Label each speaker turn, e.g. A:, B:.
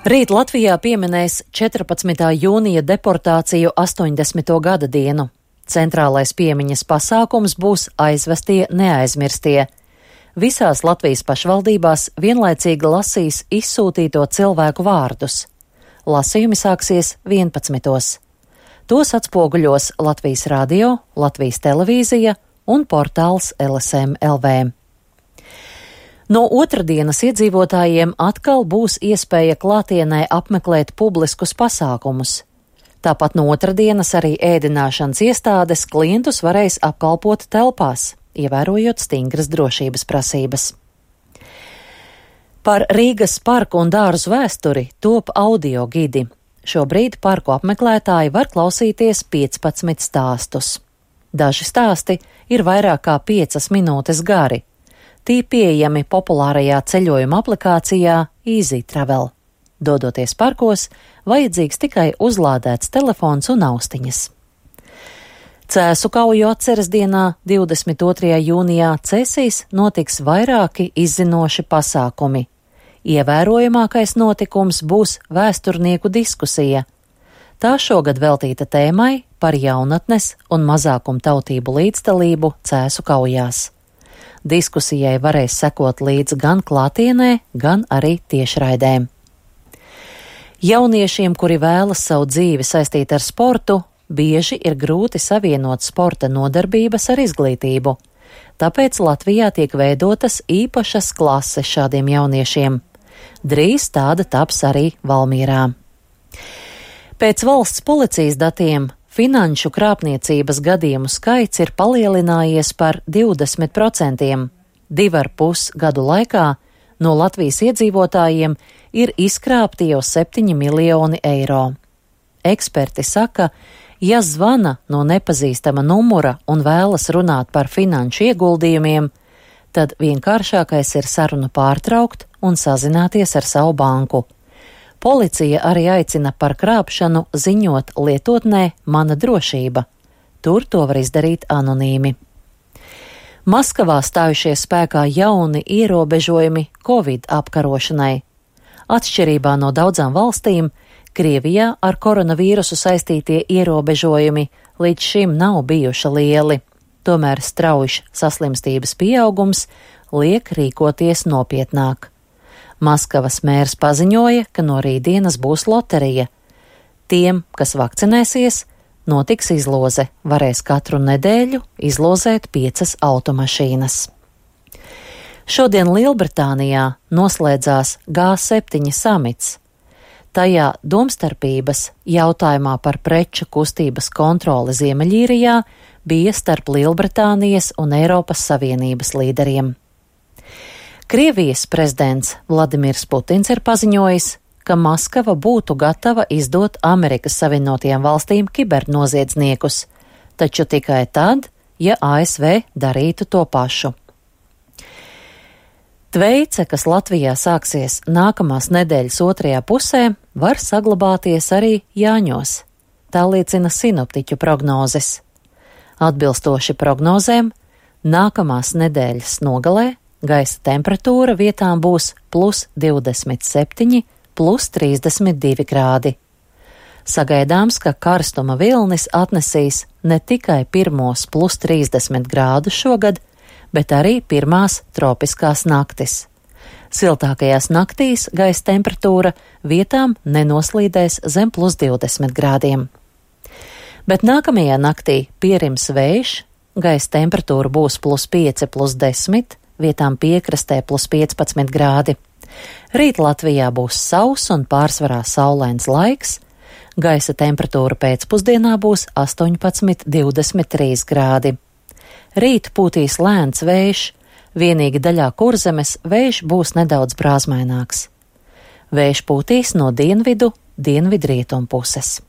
A: Rīt Latvijā pieminēs 14. jūnija deportāciju 80. gada dienu. Centrālais piemiņas pasākums būs Aizvestie neaizmirstie. Visās Latvijas pašvaldībās vienlaicīgi lasīs izsūtīto cilvēku vārdus. Lasījumi sāksies 11. Tos atspoguļos Latvijas radio, Latvijas televīzija un portāls LSM LV. No otrdienas iedzīvotājiem atkal būs iespēja klātienē apmeklēt publiskus pasākumus. Tāpat no otrdienas arī ēdināšanas iestādes klientus varēs apkalpot telpās, ievērojot stingras drošības prasības. Par Rīgas parku un dārzu vēsturi top audio gidi. Šobrīd parku apmeklētāji var klausīties 15 stāstus. Daži stāsti ir vairāk kā 5 minūtes gari. Tī pieejami populārajā ceļojuma aplikācijā Easy Travel. Dodoties parkos, vajadzīgs tikai uzlādēts telefons un austiņas. Cēsu kauju atceres dienā, 22. jūnijā, Cēsīs notiks vairāki izzinoši pasākumi. Ievērojamākais notikums būs vēsturnieku diskusija. Tā šogad veltīta tēmai par jaunatnes un mazākumtautību līdzdalību Cēsu kaujās. Diskusijai varēs sekot līdz gan klātienē, gan arī tiešraidē. Jauniešiem, kuri vēlas savu dzīvi saistīt ar sportu, bieži ir grūti savienot sporta nodarbības ar izglītību. Tāpēc Latvijā tiek veidotas īpašas klases šādiem jauniešiem. Drīz tāda taps arī Valmierā. Pēc valsts policijas datiem finanšu krāpniecības gadījumu skaits ir palielinājies par 20%. 2,5 gadu laikā no Latvijas iedzīvotājiem ir izkrāpti jau 7 miljoni eiro. Eksperti saka, ja zvana no nepazīstama numura un vēlas runāt par finanšu ieguldījumiem, tad vienkāršākais ir sarunu pārtraukt un sazināties ar savu banku. Policija arī aicina par krāpšanu ziņot lietotnē Mana drošība. Tur to var izdarīt anonīmi. Maskavā stājušies spēkā jauni ierobežojumi Covid apkarošanai. Atšķirībā no daudzām valstīm, Krievijā ar koronavīrusu saistītie ierobežojumi līdz šim nav bijuši lieli. Tomēr strauji saslimstības pieaugums liek rīkoties nopietnāk. Maskavas mērs paziņoja, ka no rītdienas būs loterija. Tiem, kas vakcinēsies, notiks izloze, varēs katru nedēļu izlozēt 5 automašīnas. Šodien Lielbritānijā noslēdzās G7 samits. Tajā domstarpības jautājumā par preču kustības kontroli Ziemeļīrijā bija starp Lielbritānijas un Eiropas Savienības līderiem. Krievijas prezidents Vladimirs Putins ir paziņojis, ka Maskava būtu gatava izdot Amerikas Savienotajām valstīm kibernoziedzniekus, taču tikai tad, ja ASV darītu to pašu. Tveice, kas Latvijā sāksies nākamās nedēļas otrajā pusē, var saglabāties arī Jāņos. Tā liecina sinoptiķu prognozes. Atbilstoši prognozēm, nākamās nedēļas nogalē gaisa temperatūra vietām būs +27, +32 grādi. Sagaidāms, ka karstuma vilnis atnesīs ne tikai pirmos +30 grādus šogad, bet arī pirmās tropiskās naktis. Siltākajās naktīs gaisa temperatūra vietām nenoslīdēs zem +20 grādiem. Bet nākamajā naktī pierims vējš, gaisa temperatūra būs +5, +10, vietām piekrastē +15 grādi. Rīt Latvijā būs sauss un pārsvarā saulains laiks, gaisa temperatūra pēcpusdienā būs 18–23 grādi. Rīt pūtīs lēns vējš, vienīgi daļā Kurzemes vējš būs nedaudz brāzmaināks. Vējš pūtīs no dienvidu, dienvidrietumu puses.